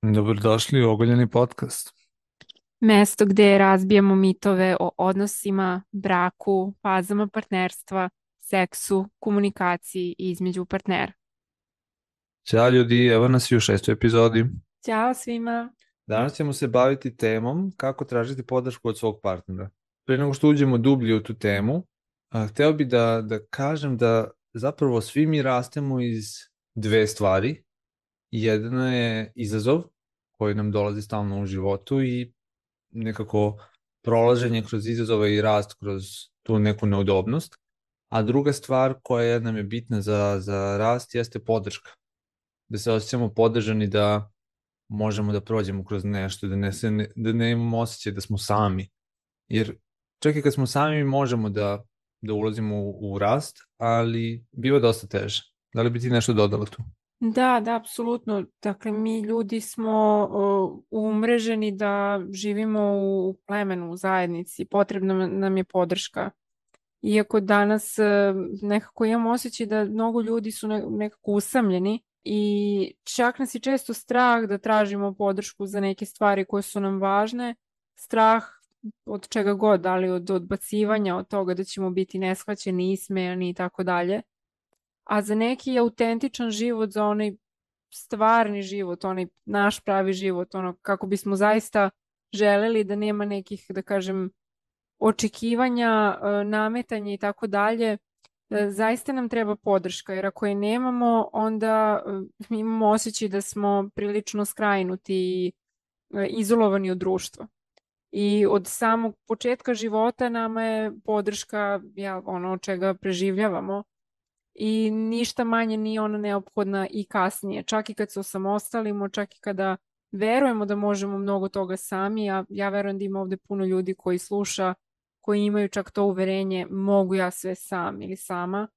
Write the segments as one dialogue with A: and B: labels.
A: Dobrodošli u Ogoljeni podcast.
B: Mesto gde razbijamo mitove o odnosima, braku, fazama partnerstva, seksu, komunikaciji između partnera.
A: Ćao ljudi, evo nas i u šestoj epizodi.
B: Ćao svima!
A: Danas ćemo se baviti temom kako tražiti podršku od svog partnera. Prije nego što uđemo dublje u tu temu, hteo bi da kažem da zapravo svi mi rastemo iz dve stvari. Jedna je izazov koji nam dolazi stalno u životu i nekako prolaženje kroz izazove i rast kroz tu neku neudobnost. A druga stvar koja nam je bitna za rast jeste podrška. Da se osjećamo podržani, da možemo da prođemo kroz nešto, da ne imamo osjećaj da smo sami. Jer čak i kad smo sami mi možemo da ulazimo u rast, ali biva dosta teže. Da li bi ti nešto dodala tu?
B: Da, apsolutno. Dakle, mi ljudi smo umreženi da živimo u plemenu, u zajednici. Potrebna nam je podrška. Iako danas nekako imamo osjećaj da mnogo ljudi su nekako usamljeni i čak nas je često strah da tražimo podršku za neke stvari koje su nam važne. Strah od čega god, da li od odbacivanja, od toga da ćemo biti neshvaćeni, ismejani i tako dalje. A za neki autentičan život, za onaj stvarni život, onaj naš pravi život, ono kako bismo zaista želeli da nema nekih, da kažem, očekivanja, nametanja i tako dalje, zaista nam treba podrška, jer ako je nemamo, onda mi imamo osjećaj da smo prilično skrajnuti i izolovani od društva. I od samog početka života nama je podrška ono od čega preživljavamo i ništa manje nije ona neophodna i kasnije. Čak i kad se osamostalimo, čak i kada verujemo da možemo mnogo toga sami, a ja verujem da ima ovde puno ljudi koji sluša, koji imaju čak to uverenje, mogu ja sve sam ili sama,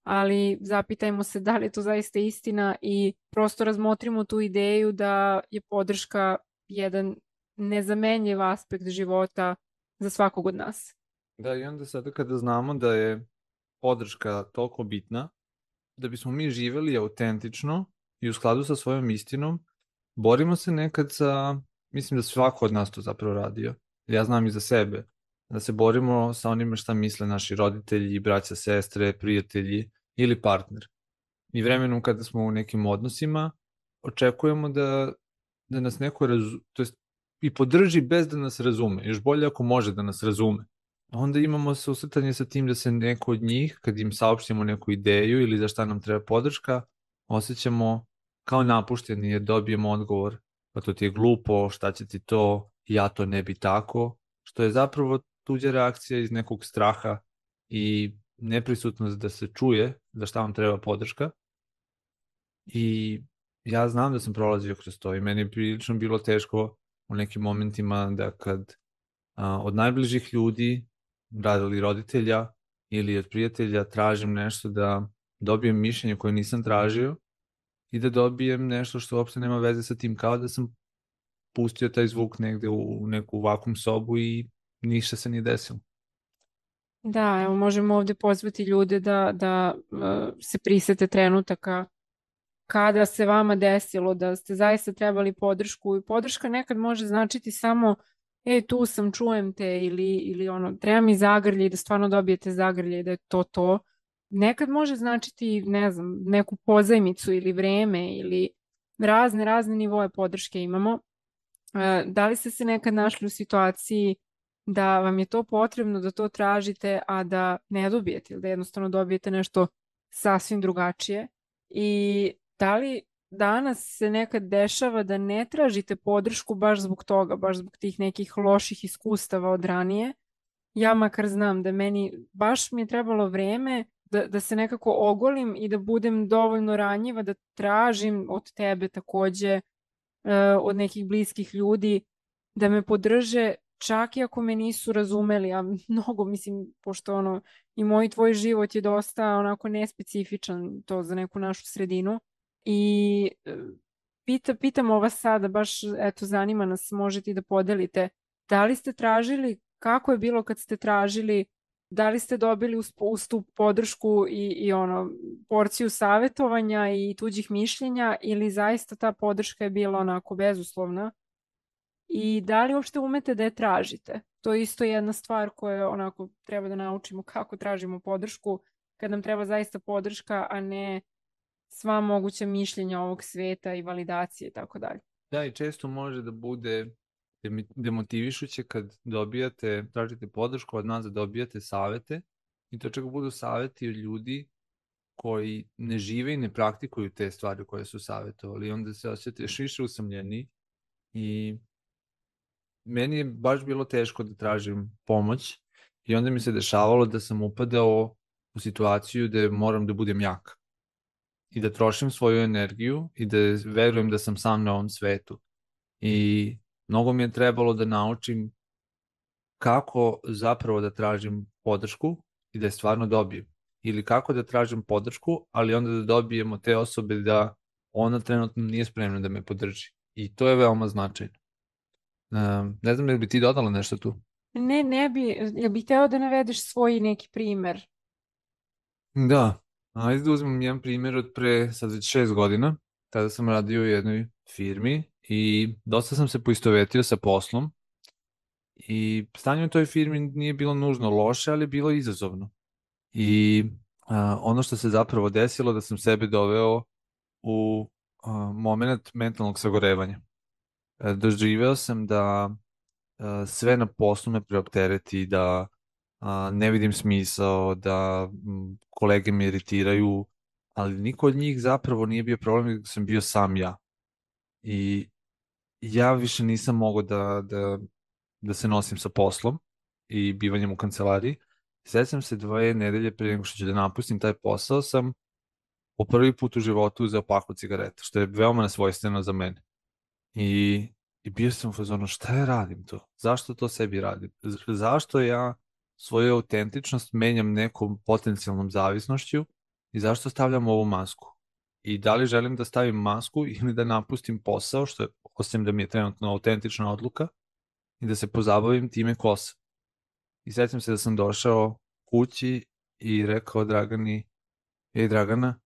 B: ali zapitajmo se da li je to zaista istina i prosto razmotrimo tu ideju da je podrška jedan nezamenljiv aspekt života za svakog od nas.
A: Da, i onda sada kada znamo da je podrška toliko bitna, da bismo mi živeli autentično i u skladu sa svojom istinom, borimo se nekad sa, mislim da svako od nas to zapravo radio. Ja znam i za sebe, da se borimo sa onime šta misle naši roditelji, braća, sestre, prijatelji ili partner. I vremenom kada smo u nekim odnosima, očekujemo da nas neko to jest i podrži bez da nas razume. Još bolje ako može da nas razume. Onda imamo susretanje sa tim da se neko od njih, kad im saopštimo neku ideju ili za šta nam treba podrška, osjećamo kao napušteni jer dobijemo odgovor, pa to ti je glupo, šta će ti to, ja to ne bi tako, što je zapravo tuđa reakcija iz nekog straha i neprisutnost da se čuje za šta vam treba podrška. I ja znam da sam prolazio kroz to i meni je prilično bilo teško u nekim momentima da kad od najbližih ljudi, radili roditelja ili od prijatelja, tražim nešto da dobijem mišljenje koje nisam tražio i da dobijem nešto što uopšte nema veze sa tim, kao da sam pustio taj zvuk negde u neku vakum sobu i ništa se nije desilo.
B: Da, evo možemo ovde pozvati ljude da se prisete trenutaka kada se vama desilo da ste zaista trebali podršku i podrška nekad može značiti samo tu sam, čujem te ili ono, treba mi zagrlje i da stvarno dobijete zagrlje i da je to to. Nekad može značiti, ne znam, neku pozajmicu ili vreme ili razne nivoe podrške imamo. Da li ste se nekad našli u situaciji da vam je to potrebno, da to tražite, a da ne dobijete ili da jednostavno dobijete nešto sasvim drugačije? I da li danas se nekad dešava da ne tražite podršku baš zbog toga, baš zbog tih nekih loših iskustava od ranije? Ja makar znam da baš mi je trebalo vreme da se nekako ogolim i da budem dovoljno ranjiva da tražim od tebe takođe, od nekih bliskih ljudi da me podrže čak i ako me nisu razumeli, a mnogo mislim, pošto ono, i moj tvoj život je dosta onako nespecifičan to za neku našu sredinu i pitamo vas sada, baš eto zanima nas, možete i da podelite, da li ste tražili, kako je bilo kad ste tražili Da li ste dobili uz tu podršku i ono, porciju savjetovanja i tuđih mišljenja ili zaista ta podrška je bila onako bezuslovna? I da li uopšte umete da je tražite? To je isto jedna stvar koja onako treba da naučimo kako tražimo podršku kad nam treba zaista podrška, a ne sva moguća mišljenja ovog sveta i validacije i tako dalje.
A: Da, i često može da bude demotivišuće kad tražite podršku od nas da dobijate savete i to čak budu saveti od ljudi koji ne žive i ne praktikuju te stvari koje su savetovali. Onda se osjećate još više usamljeni i meni je baš bilo teško da tražim pomoć i onda mi se dešavalo da sam upadao u situaciju da moram da budem jak i da trošim svoju energiju i da verujem da sam sam na ovom svetu. I mnogo mi je trebalo da naučim kako zapravo da tražim podršku i da je stvarno dobijem. Ili kako da tražim podršku, ali onda da dobijemo te osobe da ona trenutno nije spremna da me podrži. I to je veoma značajno. Ne znam, da bi ti dodala nešto tu?
B: Ne bi, jel bih hteo da navedeš svoj neki primer?
A: Da, ajde da uzmem jedan primjer od pre sad već 6 godina. Tada sam radio u jednoj firmi i dosta sam se poistovetio sa poslom i stanje u toj firmi nije bilo nužno loše, ali je bilo izazovno. I ono što se zapravo desilo da sam sebe doveo u moment mentalnog sagorevanja. Doživeo sam da sve na poslu me preoptereti, da ne vidim smisao, da kolege me iritiraju, ali niko od njih zapravo nije bio problem, nego sam bio sam ja. I ja više nisam mogao da se nosim sa poslom i bivanjem u kancelariji. Sećam se 2 nedelje pre nego što ću da napustim taj posao, sam po prvi put u životu uzeo paklu cigareta, što je veoma nesvojstveno za mene. I, i bio sam u fazonu, šta ja radim to? Zašto to sebi radim? Zašto ja svoju autentičnost menjam nekom potencijalnom zavisnošću i zašto stavljam ovu masku? I da li želim da stavim masku ili da napustim posao, što je, osim da mi je trenutno autentična odluka, i da se pozabavim time ko sam. I sećam se da sam došao kući i rekao Dragani, ej Dragana,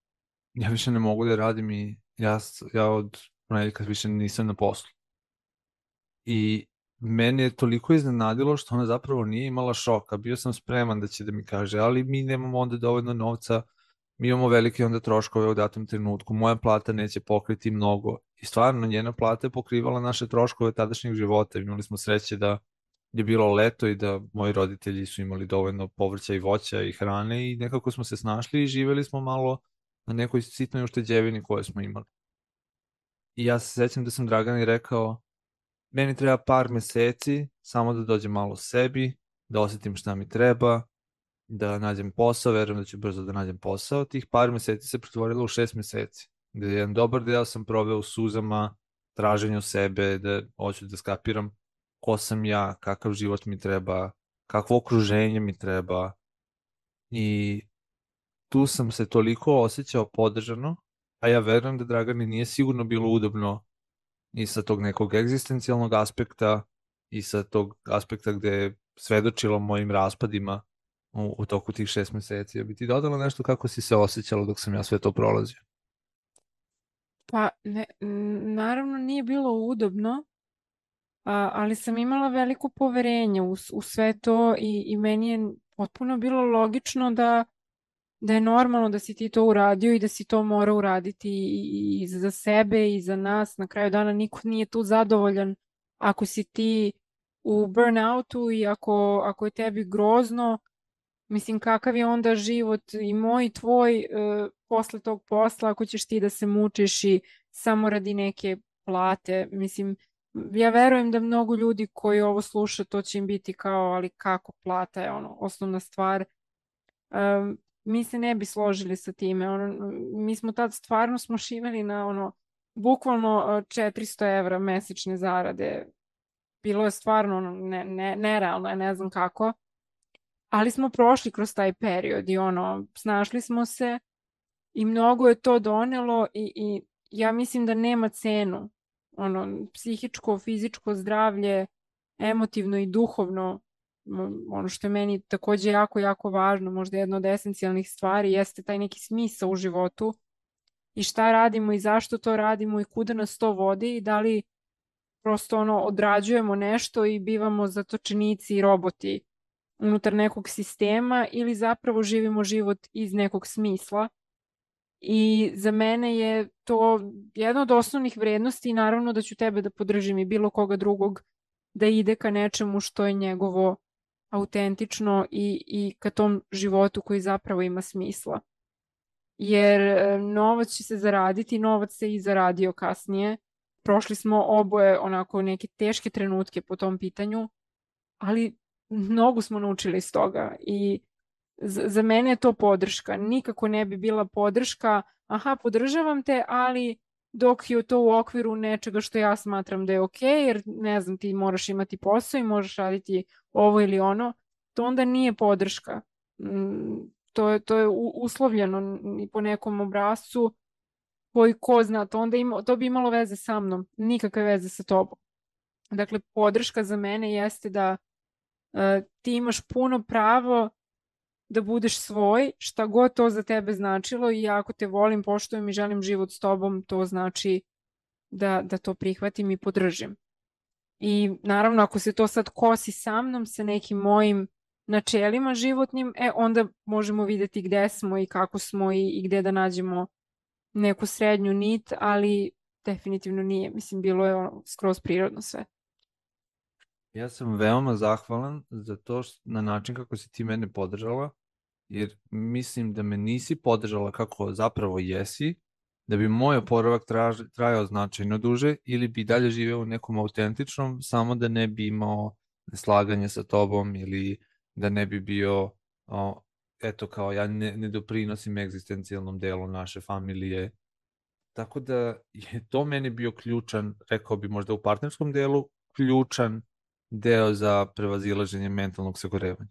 A: ja više ne mogu da radim i ja od ponedjeljka više nisam na poslu. I mene je toliko iznenadilo što ona zapravo nije imala šoka. Bio sam spreman da će da mi kaže, ali mi nemamo onda dovoljno novca, mi imamo velike onda troškove u datom trenutku, moja plata neće pokriti mnogo. I stvarno, njena plata je pokrivala naše troškove tadašnjeg života. Imali smo sreće da je bilo leto i da moji roditelji su imali dovoljno povrća i voća i hrane i nekako smo se snašli i živeli smo malo na nekoj sitnoj ušteđevini koje smo imali. I ja se sećam da sam Dragani rekao, meni treba par meseci samo da dođem malo sebi, da osetim šta mi treba, da nađem posao, verujem da ću brzo da nađem posao. Tih par meseci se pretvorilo u 6 meseci, gde jedan dobar deo sam proveo u suzama, traženju sebe, da hoću da skapiram ko sam ja, kakav život mi treba, kakvo okruženje mi treba. I tu sam se toliko osjećao podržano, a ja verujem da Dragani nije sigurno bilo udobno i sa tog nekog egzistencijalnog aspekta i sa tog aspekta gde je svedočilo mojim raspadima u toku tih 6 meseci. Ja bi ti dodala nešto kako si se osjećala dok sam ja sve to prolazio?
B: Pa, naravno nije bilo udobno, ali sam imala veliko poverenje u sve to i meni je potpuno bilo logično da je normalno da si ti to uradio i da si to mora uraditi i za sebe i za nas. Na kraju dana niko nije tu zadovoljan ako si ti u burnoutu i ako je tebi grozno. Mislim, kakav je onda život i moj i tvoj posle tog posla ako ćeš ti da se mučiš i samo radi neke plate. Mislim, ja verujem da mnogo ljudi koji ovo sluša, to će im biti kao, ali kako plata je ono, osnovna stvar. Mi se ne bi složili sa time. Mi smo tad stvarno smo živeli na bukvalno 400 evra mesečne zarade. Bilo je stvarno nerealno, ja ne znam kako. Ali smo prošli kroz taj period i snašli smo se i mnogo je to donelo i ja mislim da nema cenu. Psihičko, fizičko zdravlje, emotivno i duhovno ono što je meni takođe jako, jako važno, možda jedna od esencijalnih stvari, jeste taj neki smisao u životu i šta radimo i zašto to radimo i kuda nas to vodi i da li prosto odrađujemo nešto i bivamo zatočenici i roboti unutar nekog sistema ili zapravo živimo život iz nekog smisla. I za mene je to jedna od osnovnih vrednosti i naravno da ću tebe da podržim i bilo koga drugog da ide ka nečemu što je njegovo autentično i ka tom životu koji zapravo ima smisla. Jer novac će se zaraditi, novac se i zaradio kasnije. Prošli smo oboje onako neke teške trenutke po tom pitanju, ali mnogo smo naučili iz toga i za mene je to podrška. Nikako ne bi bila podrška, aha, podržavam te, ali dok je to u okviru nečega što ja smatram da je okej, jer ne znam, ti moraš imati posao i možeš raditi ovo ili ono, to onda nije podrška. To je uslovljeno po nekom obrascu koji ko zna, to bi imalo veze sa mnom, nikakve veze sa tobom. Dakle, podrška za mene jeste da ti imaš puno pravo da budeš svoj, šta god to za tebe značilo i ako te volim, poštujem i želim život s tobom, to znači da to prihvatim i podržim. I naravno, ako se to sad kosi sa mnom, sa nekim mojim načelima životnim, onda možemo videti gde smo i kako smo i gde da nađemo neku srednju nit, ali definitivno nije. Mislim, bilo je skroz prirodno sve.
A: Ja sam veoma zahvalan za to na način kako si ti mene podržala, jer mislim da me nisi podržala kako zapravo jesi, da bi moj oporavak trajao značajno duže ili bi dalje živeo u nekom autentičnom, samo da ne bi imao neslaganje sa tobom ili da ne bi bio, eto kao ja ne doprinosim egzistencijalnom delu naše familije. Tako da je to meni bio ključan, rekao bi možda u partnerskom delu, ključan deo za prevazilaženje mentalnog sagorevanja.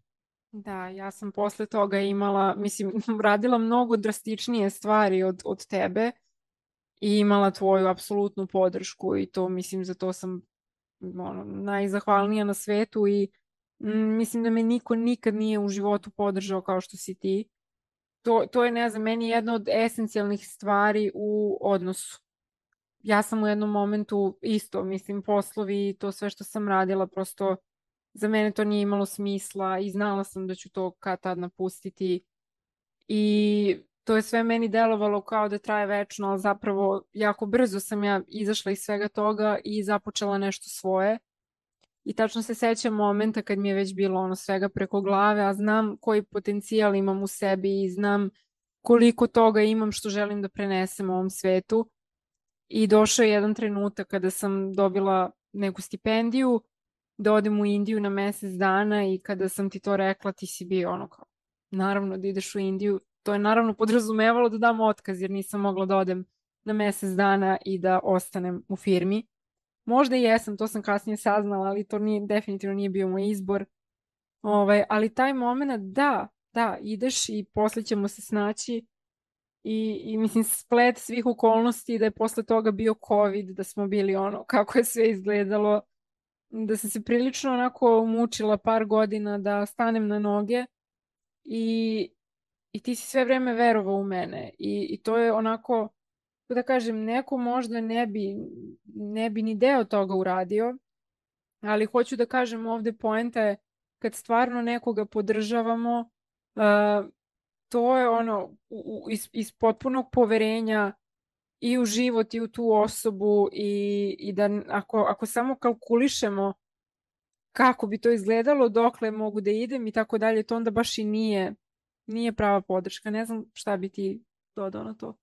B: Da, ja sam posle toga imala, mislim, radila mnogo drastičnije stvari od tebe i imala tvoju apsolutnu podršku i to, mislim, za to sam najzahvalnija na svetu i mislim da me niko nikad nije u životu podržao kao što si ti. To je, ne znam, meni jedna od esencijalnih stvari u odnosu. Ja sam u jednom momentu isto, mislim, poslovi i to sve što sam radila, prosto za mene to nije imalo smisla i znala sam da ću to kad tad napustiti i to je sve meni delovalo kao da traje večno, ali zapravo jako brzo sam ja izašla iz svega toga i započela nešto svoje. I tačno se sećam momenta kad mi je već bilo svega preko glave, a znam koji potencijal imam u sebi i znam koliko toga imam što želim da prenesem u ovom svetu. I došao je jedan trenutak kada sam dobila neku stipendiju da odem u Indiju na mesec dana i kada sam ti to rekla, ti si bio kao, naravno da ideš u Indiju. To je naravno podrazumevalo da dam otkaz jer nisam mogla da odem na mesec dana i da ostanem u firmi. Možda i jesam, to sam kasnije saznala, ali to definitivno nije bio moj izbor. Ali taj moment, da, ideš i posle ćemo se snaći i mislim splet svih okolnosti da je posle toga bio COVID, da smo bili kako je sve izgledalo, da sam se prilično onako mučila par godina da stanem na noge i ti si sve vreme verovao u mene i to je onako, da kažem, neko možda ne bi ni deo toga uradio, ali hoću da kažem ovde poenta je kad stvarno nekoga podržavamo, to je iz potpunog poverenja i u život i u tu osobu i da ako samo kalkulišemo kako bi to izgledalo, dokle mogu da idem i tako dalje, to onda baš i nije prava podrška. Ne znam šta bi ti dodao na to.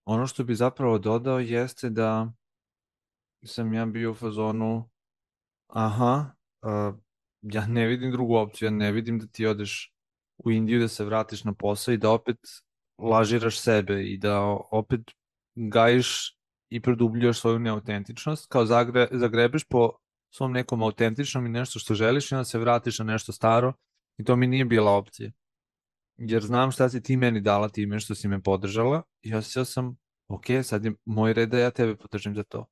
A: Ono što bi zapravo dodao jeste da sam ja bio u fazonu ja ne vidim drugu opciju, ja ne vidim da ti odeš u Indiju, da se vratiš na posao i da opet lažiraš sebe i da opet gajiš i produbljuješ svoju neautentičnost, kao zagrebeš po svom nekom autentičnom i nešto što želiš i onda se vratiš na nešto staro i to mi nije bila opcija. Jer znam šta si ti meni dala time što si me podržala i osjećao sam, ok, sad je moj red da ja tebe podržim za to.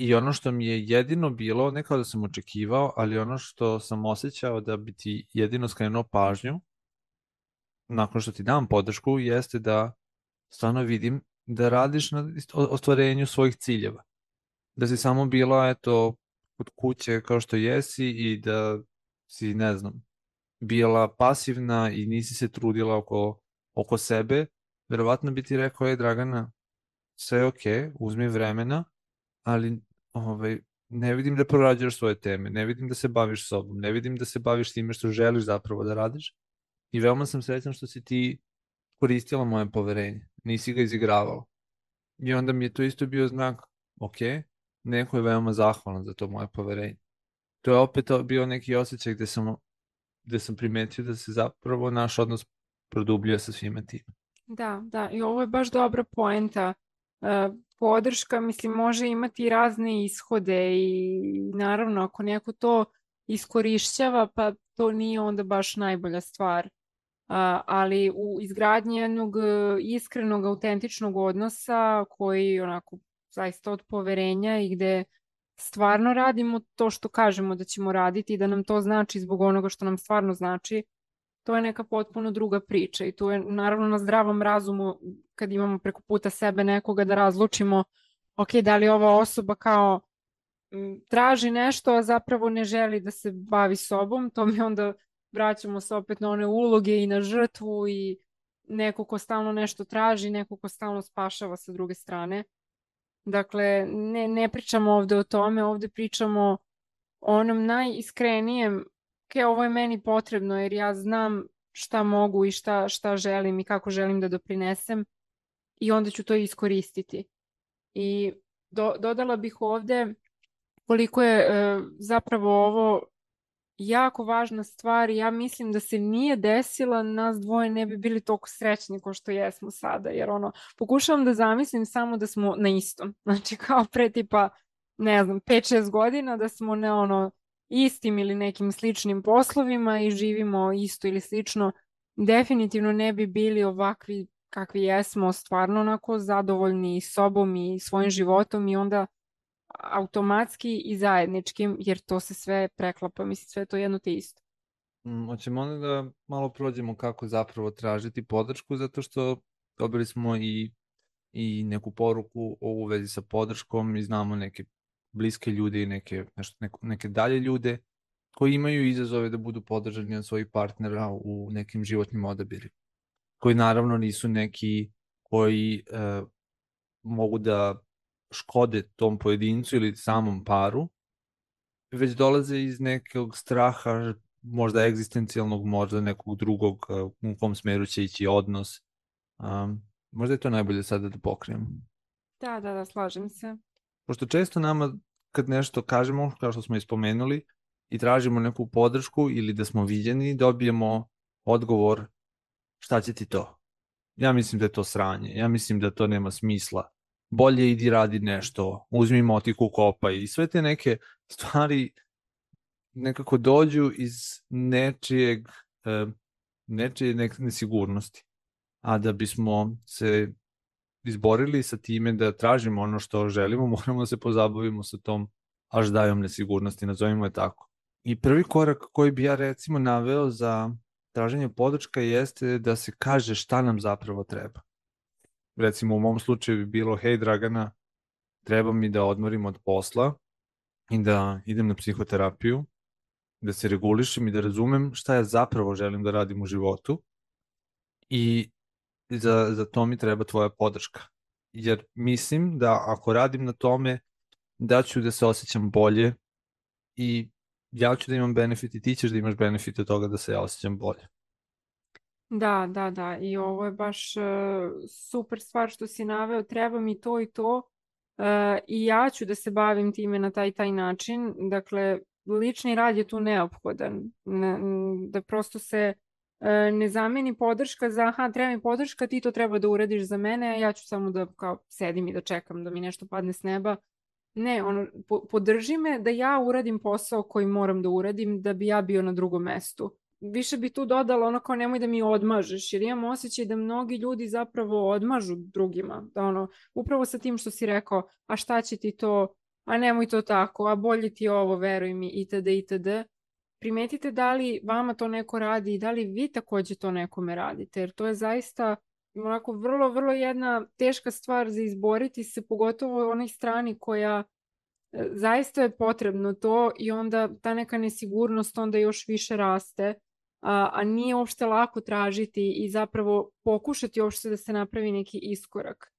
A: I ono što mi je jedino bilo, ne kao da sam očekivao, ali ono što sam osjećao da bi ti jedino skrenuo pažnju, nakon što ti dam podršku, jeste da stvarno vidim da radiš na ostvarenju svojih ciljeva. Da si samo bila, eto, kod kuće kao što jesi i da si, ne znam, bila pasivna i nisi se trudila oko sebe, verovatno bi ti rekao, Dragana, sve je okej, uzmi vremena, ali ne vidim da prorađaš svoje teme, ne vidim da se baviš sobom, ne vidim da se baviš time što želiš zapravo da radiš i veoma sam srećan što si ti koristila moje poverenje, nisi ga izigravala. I onda mi je to isto bio znak, ok, neko je veoma zahvalan za to moje poverenje. To je opet bio neki osjećaj gde sam primetio da se zapravo naš odnos produbljuje sa svime tim.
B: Da, i ovo je baš dobra poenta. Podrška, mislim, može imati razne ishode i naravno ako neko to iskorišćava, pa to nije onda baš najbolja stvar. Ali u izgradnji jednog iskrenog, autentičnog odnosa koji onako zaista od poverenja i gde stvarno radimo to što kažemo da ćemo raditi i da nam to znači zbog onoga što nam stvarno znači, to je neka potpuno druga priča i tu je naravno na zdravom razumu kad imamo preko puta sebe nekoga da razlučimo ok, da li ova osoba kao traži nešto, a zapravo ne želi da se bavi sobom, to mi onda vraćamo se opet na one uloge i na žrtvu i neko ko stalno nešto traži, neko ko stalno spašava sa druge strane. Dakle, ne pričamo ovde o tome, ovde pričamo o onom najiskrenijem, ovo je meni potrebno jer ja znam šta mogu i šta želim i kako želim da doprinesem i onda ću to iskoristiti. I dodala bih ovde koliko je zapravo ovo jako važna stvar i ja mislim da se nije desila, nas dvoje ne bi bili toliko srećni kao što jesmo sada, jer pokušavam da zamislim samo da smo na istom, znači kao pre tipa, ne znam, 5-6 godina da smo na istim ili nekim sličnim poslovima i živimo isto ili slično, definitivno ne bi bili ovakvi kakvi jesmo, stvarno onako zadovoljni sobom i svojim životom i onda automatski i zajedničkim, jer to se sve preklapa, mislim, sve to jedno te isto.
A: Hoćemo onda da malo prođemo kako zapravo tražiti podršku, zato što dobili smo i neku poruku u vezi sa podrškom i znamo neke bliske ljude i neke dalje ljude koji imaju izazove da budu podržani od svojih partnera u nekim životnim odabirima. Koji naravno nisu neki koji mogu da škode tom pojedincu ili samom paru, već dolaze iz nekog straha, možda egzistencijalnog, možda nekog drugog, u kom smeru će ići odnos. Možda je to najbolje sada da pokrijemo.
B: Da, slažem se.
A: Pošto često nama, kad nešto kažemo, kao što smo ispomenuli, i tražimo neku podršku ili da smo viđeni, dobijemo odgovor šta će ti to? Ja mislim da je to sranje, ja mislim da to nema smisla. Bolje idi radi nešto, uzmi motiku, kopaj i sve te neke stvari nekako dođu iz nečije nesigurnosti. A da bismo se izborili sa time da tražimo ono što želimo, moramo da se pozabavimo sa tom aždajom nesigurnosti, nazovimo je tako. I prvi korak koji bi ja recimo naveo za traženje podrška jeste da se kaže šta nam zapravo treba. Recimo u mom slučaju bi bilo, hej Dragana, treba mi da odmorim od posla i da idem na psihoterapiju, da se regulišem i da razumem šta ja zapravo želim da radim u životu i za to mi treba tvoja podrška. Jer mislim da ako radim na tome, da ću da se osjećam bolje i ja ću da imam benefit i ti ćeš da imaš benefit od toga da se ja osjećam bolje.
B: Da. I ovo je baš super stvar što si naveo. Treba mi to i to i ja ću da se bavim time na taj način. Dakle, lični rad je tu neophodan. Da prosto se ne zameni podrška za aha, treba mi podrška, ti to treba da uradiš za mene, a ja ću samo da kao sedim i da čekam da mi nešto padne s neba. Ne, podrži me da ja uradim posao koji moram da uradim da bi ja bio na drugom mestu. Više bi tu dodala kao nemoj da mi odmažeš, jer imam osjećaj da mnogi ljudi zapravo odmažu drugima. Da upravo sa tim što si rekao, a šta će ti to, a nemoj to tako, a bolje ti je ovo, veruj mi, itd., itd. Primetite da li vama to neko radi i da li vi takođe to nekome radite, jer to je zaista onako vrlo, vrlo jedna teška stvar za izboriti se, pogotovo u onoj strani koja zaista je potrebno to i onda ta neka nesigurnost onda još više raste, a nije uopšte lako tražiti i zapravo pokušati uopšte da se napravi neki iskorak,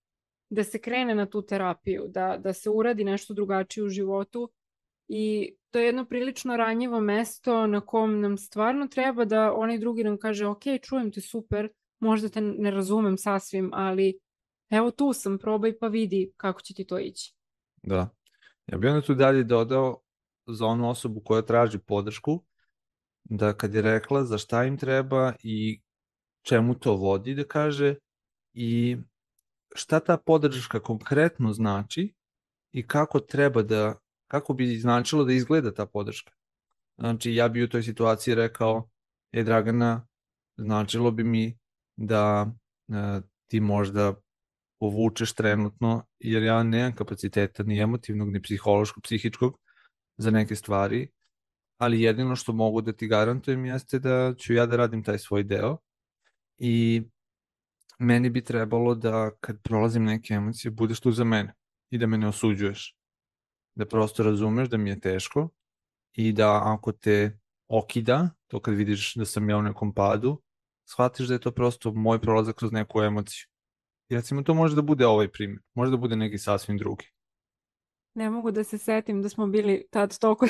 B: da se krene na tu terapiju, da se uradi nešto drugačije u životu i to je jedno prilično ranjivo mesto na kom nam stvarno treba da onaj drugi nam kaže ok, čujem te super, možda te ne razumem sasvim, ali evo tu sam, probaj pa vidi kako će ti to ići.
A: Da. Ja bih onda tu dalje dodao za onu osobu koja traži podršku, da kad je rekla za šta im treba i čemu to vodi, da kaže i šta ta podrška konkretno znači i kako bi značilo da izgleda ta podrška. Znači, ja bi u toj situaciji rekao, Dragana, značilo bi mi da ti možda povučeš trenutno, jer ja nemam kapaciteta ni emotivnog, ni psihološkog, psihičkog za neke stvari, ali jedino što mogu da ti garantujem jeste da ću ja da radim taj svoj deo i meni bi trebalo da kad prolazim neke emocije budeš tu za mene i da me ne osuđuješ, da prosto razumeš da mi je teško i da ako te okida, to kad vidiš da sam ja u nekom padu, shvatiš da je to prosto moj prolazak kroz neku emociju. I recimo to može da bude ovaj primjer, može da bude neki sasvim drugi.
B: Ne mogu da se setim da smo bili tad toliko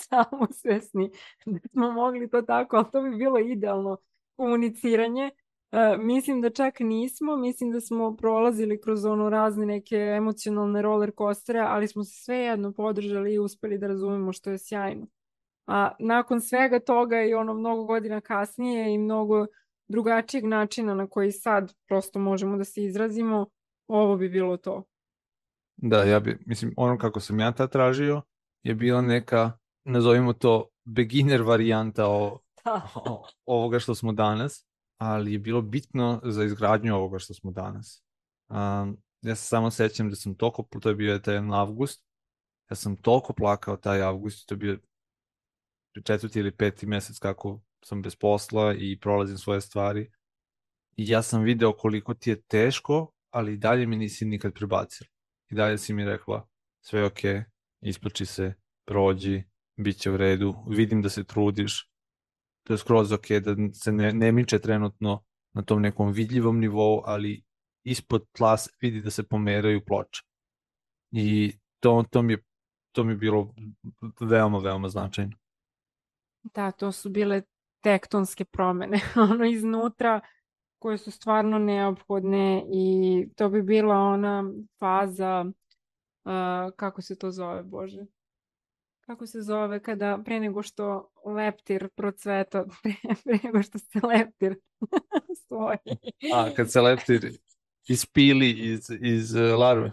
B: samosvesni da smo mogli to tako, ali to bi bilo idealno komuniciranje. Mislim da čak nismo, mislim da smo prolazili kroz ono razne neke emocionalne roller coastere, ali smo se svejedno podržali i uspeli da razumemo što je sjajno. A nakon svega toga i ono mnogo godina kasnije i mnogo drugačijeg načina na koji sad prosto možemo da se izrazimo, ovo bi bilo to.
A: Da, mislim, ono kako sam ja tad tražio je bila neka, nazovimo to, beginner varijanta ovoga što smo danas, ali je bilo bitno za izgradnju ovoga što smo danas. Ja se samo sećam da sam toliko, to je bio taj avgust, ja sam toliko plakao taj avgust, to je bio 4. ili 5. mesec kako sam bez posla i prolazim svoje stvari. I ja sam video koliko ti je teško, ali i dalje mi nisi nikad prebacila. I dalje si mi rekla, sve je okej, isplači se, prođi, bit će u redu, vidim da se trudiš, to je skroz okej, da se ne miče trenutno na tom nekom vidljivom nivou, ali ispod tla se vidi da se pomeraju ploče. I to mi je bilo veoma, veoma značajno.
B: Da, to su bile tektonske promene, ono iznutra koje su stvarno neophodne i to bi bila ona faza, kako se to zove, Bože? Kako se zove kada pre nego što leptir procveta, pre nego što se leptir stoji.
A: Kad se leptir ispili iz larve.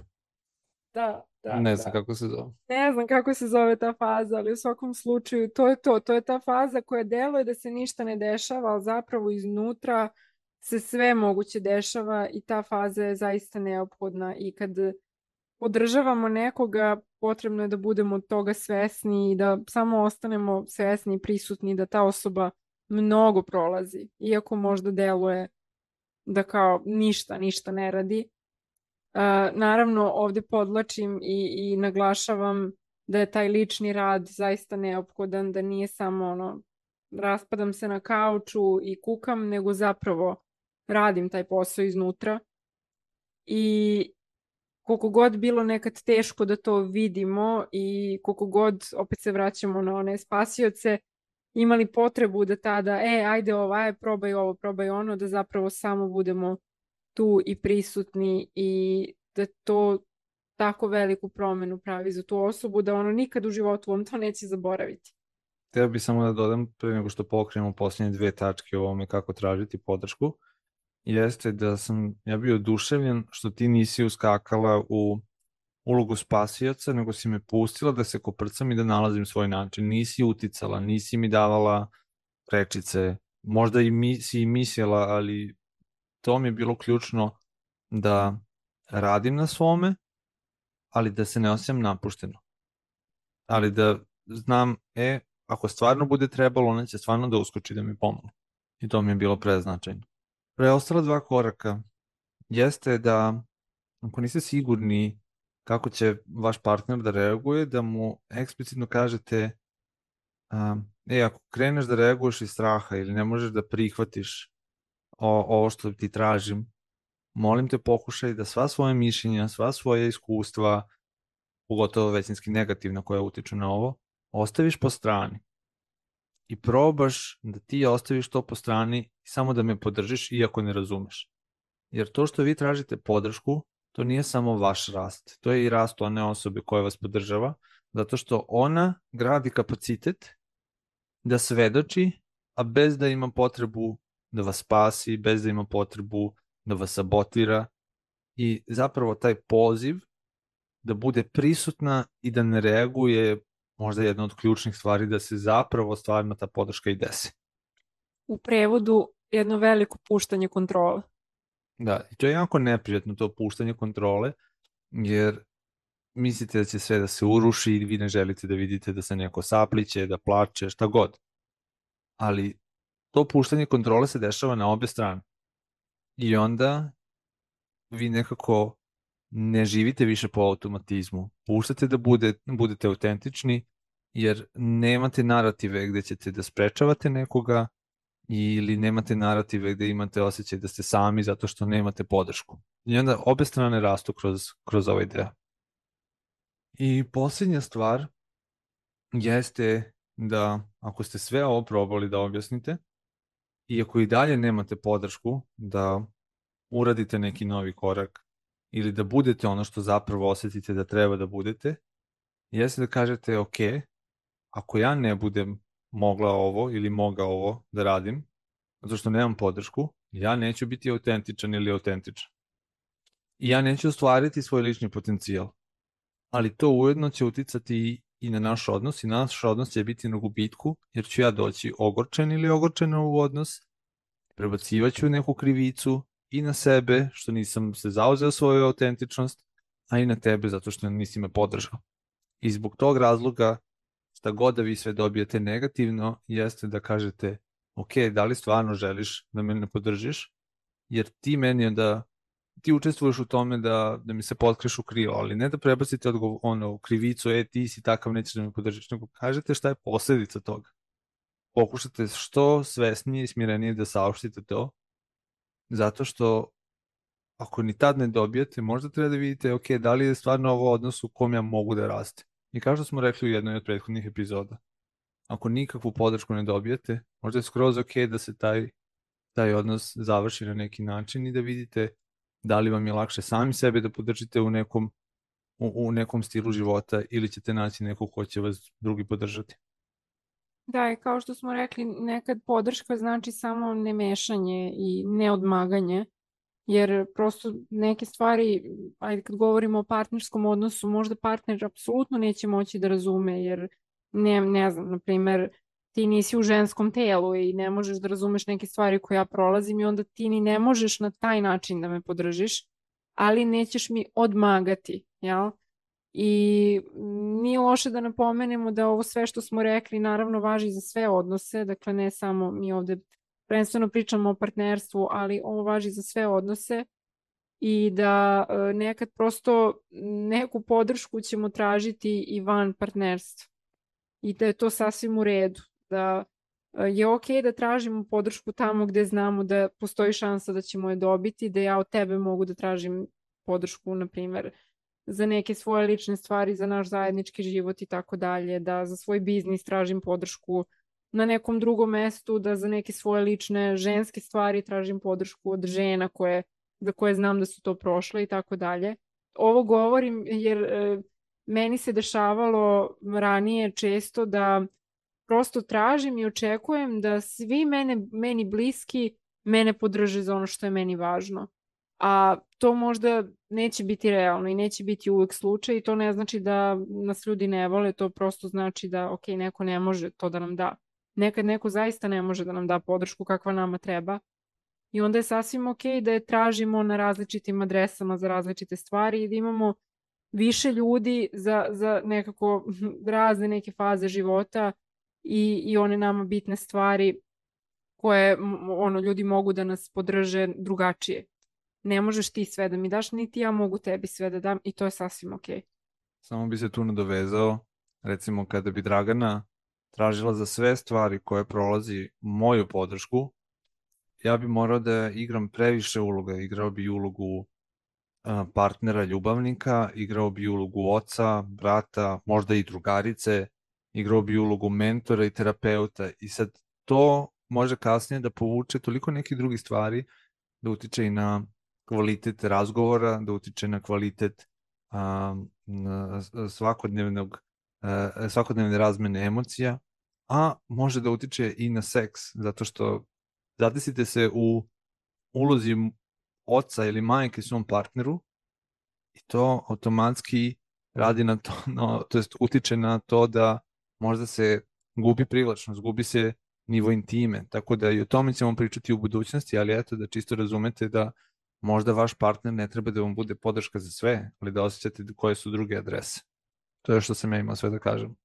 B: Da.
A: Ne znam kako se zove.
B: Ne znam kako se zove ta faza, ali u svakom slučaju to je to. To je ta faza koja deluje da se ništa ne dešava, ali zapravo iznutra se sve moguće dešava i ta faza je zaista neophodna. I kad podržavamo nekoga, potrebno je da budemo od toga svesni i da samo ostanemo svesni i prisutni da ta osoba mnogo prolazi. Iako možda deluje da kao ništa ne radi. Naravno, ovde podlačim i naglašavam da je taj lični rad zaista neophodan, da nije samo ono, raspadam se na kauču i kukam, nego zapravo radim taj posao iznutra. I koliko god bilo nekad teško da to vidimo i koliko god, opet se vraćamo na one spasioce, imali potrebu da tada, ajde probaj ovo, probaj ono, da zapravo samo budemo tu i prisutni i da to tako veliku promenu pravi za tu osobu da ono nikad u životu on to neće zaboraviti.
A: Htio bih samo da dodam, pre nego što pokrenemo posljednje 2 tačke o ovome kako tražiti podršku, jeste da sam ja bio oduševljen što ti nisi uskakala u ulogu spasioca, nego si me pustila da se koprcam i da nalazim svoj način. Nisi uticala, nisi mi davala prečice, možda si i mislila, ali to mi je bilo ključno da radim na svome, ali da se ne osjećam napušteno. ali da znam, ako stvarno bude trebalo, ona će stvarno da uskoči da mi pomogne. I to mi je bilo preznačajno. Preostala 2 koraka jeste da ako niste sigurni kako će vaš partner da reaguje, da mu eksplicitno kažete ako kreneš da reaguješ iz straha ili ne možeš da prihvatiš ovo što ti tražim, molim te pokušaj da sva svoja mišljenja, sva svoja iskustva, pogotovo većinski negativna koja utiču na ovo, ostaviš po strani i probaš da ti ostaviš to po strani i samo da me podržiš iako ne razumeš. Jer to što vi tražite podršku, to nije samo vaš rast, to je i rast one osobe koja vas podržava, zato što ona gradi kapacitet da svedoči, a bez da ima potrebu da vas spasi, bez da ima potrebu da vas sabotira i zapravo taj poziv da bude prisutna i da ne reaguje možda jedna od ključnih stvari da se zapravo stvarno ta podrška i desi.
B: U prevodu jedno veliko puštanje kontrole.
A: Da, i to je jako neprijatno, to puštanje kontrole, jer mislite da će sve da se uruši i vi ne želite da vidite da se neko sapliće, da plače, šta god. Ali to puštanje kontrole se dešava na obe strane. I onda vi nekako ne živite više po automatizmu. Puštate da budete autentični, jer nemate narative gde ćete da sprečavate nekoga ili nemate narative gde imate osjećaj da ste sami zato što nemate podršku. I onda obe strane rastu kroz ovaj deo. I posljednja stvar jeste da ako ste sve ovo probali da objasnite i ako i dalje nemate podršku da uradite neki novi korak ili da budete ono što zapravo osetite da treba da budete, jeste da kažete ok, ako ja ne budem mogla ovo ili mogao ovo da radim, zato što nemam podršku, ja neću biti autentičan ili autentičan. I ja neću ostvariti svoj lični potencijal. Ali to ujedno će uticati i na naš odnos i naš odnos će biti na gubitku, jer ću ja doći ogorčen ili ogorčena u odnos, prebacivaću neku krivicu i na sebe, što nisam se zauzeo svoju autentičnost, a i na tebe, zato što nisi me podržao. I zbog tog razloga, šta god da vi sve dobijete negativno, jeste da kažete, ok, da li stvarno želiš da me ne podržiš, jer ti meni onda ti učestvuješ u tome da mi se potkreš u krilo, ali ne da prebacite krivicu, ti si takav, nećeš da me podržiš, nego kažete šta je posledica toga. Pokušate što svesnije i smirenije da saopštite to, zato što ako ni tad ne dobijete, možda treba da vidite, ok, da li je stvarno ovo odnos u kom ja mogu da raste. I kao što smo rekli u jednoj od prethodnih epizoda, ako nikakvu podršku ne dobijete, možda je skroz ok da se taj odnos završi na neki način i da vidite da li vam je lakše sami sebe da podržite u nekom stilu života ili ćete naći nekog ko će vas drugi podržati.
B: Da, i kao što smo rekli, nekad podrška znači samo nemešanje i neodmaganje, jer prosto neke stvari, ajde kad govorimo o partnerskom odnosu, možda partner apsolutno neće moći da razume, jer ne znam, na primer, ti nisi u ženskom telu i ne možeš da razumeš neke stvari koje ja prolazim i onda ti ni ne možeš na taj način da me podržiš, ali nećeš mi odmagati, jel? I nije loše da napomenemo da ovo sve što smo rekli naravno važi za sve odnose, dakle ne samo mi ovde prvenstveno pričamo o partnerstvu, ali ovo važi za sve odnose i da nekad prosto neku podršku ćemo tražiti i van partnerstva i da je to sasvim u redu, da je ok da tražimo podršku tamo gde znamo da postoji šansa da ćemo je dobiti, da ja od tebe mogu da tražim podršku, na primer, za neke svoje lične stvari, za naš zajednički život i tako dalje, da za svoj biznis tražim podršku na nekom drugom mestu, da za neke svoje lične ženske stvari tražim podršku od žena za koje znam da su to prošle i tako dalje. Ovo govorim jer meni se dešavalo ranije često da prosto tražim i očekujem da svi meni bliski mene podrže za ono što je meni važno. A to možda neće biti realno i neće biti uvek slučaj i to ne znači da nas ljudi ne vole, to prosto znači da ok, neko ne može to da nam da. Nekad neko zaista ne može da nam da podršku kakva nama treba i onda je sasvim ok da je tražimo na različitim adresama za različite stvari i da imamo više ljudi za nekako razne neke faze života i one nama bitne stvari koje ljudi mogu da nas podrže drugačije. Ne možeš ti sve da mi daš, niti ja mogu tebi sve da dam i to je sasvim okej.
A: Samo bi se tu nadovezao, recimo kada bi Dragana tražila za sve stvari koje prolazi moju podršku, ja bi morao da igram previše uloga. Igrao bi ulogu partnera, ljubavnika, igrao bi ulogu oca, brata, možda i drugarice, igrao bi ulogu mentora i terapeuta i sad to može kasnije da povuče toliko nekih drugih stvari, da utiče i na kvalitet razgovora, da utiče na kvalitet svakodnevne razmene emocija, a može da utiče i na seks, zato što zadesite se u ulozi oca ili majke svom partneru i to automatski radi na to, to jest utiče na to da možda se gubi privlačnost, gubi se nivo intime, tako da i o tome ćemo pričati u budućnosti, ali eto da čisto razumete da možda vaš partner ne treba da vam bude podrška za sve, ali da osjećate koje su druge adrese. To je što sam ja imao sve da kažem.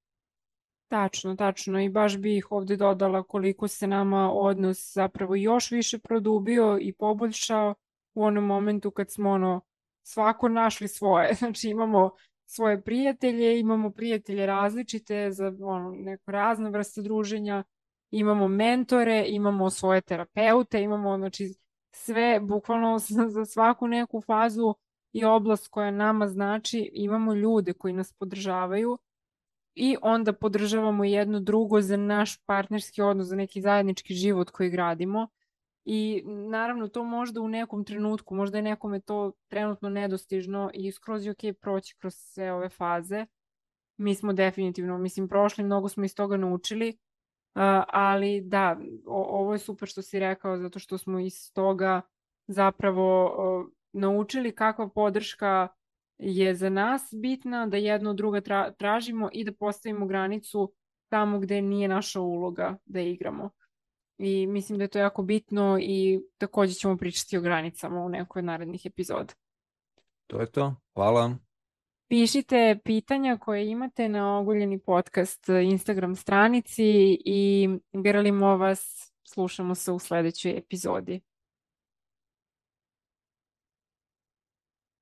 B: Tačno i baš bih ovde dodala koliko se nama odnos zapravo još više produbio i poboljšao u onom momentu kad smo svako našli svoje. Znači imamo svoje prijatelje, imamo prijatelje različite za neko razne vrste druženja, imamo mentore, imamo svoje terapeute, imamo znači sve bukvalno za svaku neku fazu i oblast koja nama znači, imamo ljude koji nas podržavaju i onda podržavamo jedno drugo za naš partnerski odnos, za neki zajednički život koji gradimo. I naravno to možda u nekom trenutku, možda je nekome to trenutno nedostižno i skroz je okej proći kroz sve ove faze. Mi smo definitivno, prošli, mnogo smo iz toga naučili, ali da, ovo je super što si rekao, zato što smo iz toga zapravo naučili kakva podrška je za nas bitna, da jedno od druga tražimo i da postavimo granicu tamo gde nije naša uloga da igramo. I mislim da je to jako bitno i takođe ćemo pričati o granicama u nekoj od narednih epizoda.
A: To je to. Hvala.
B: Pišite pitanja koje imate na Oguljeni podcast Instagram stranici i grlimo vas, slušamo se u sledećoj epizodi.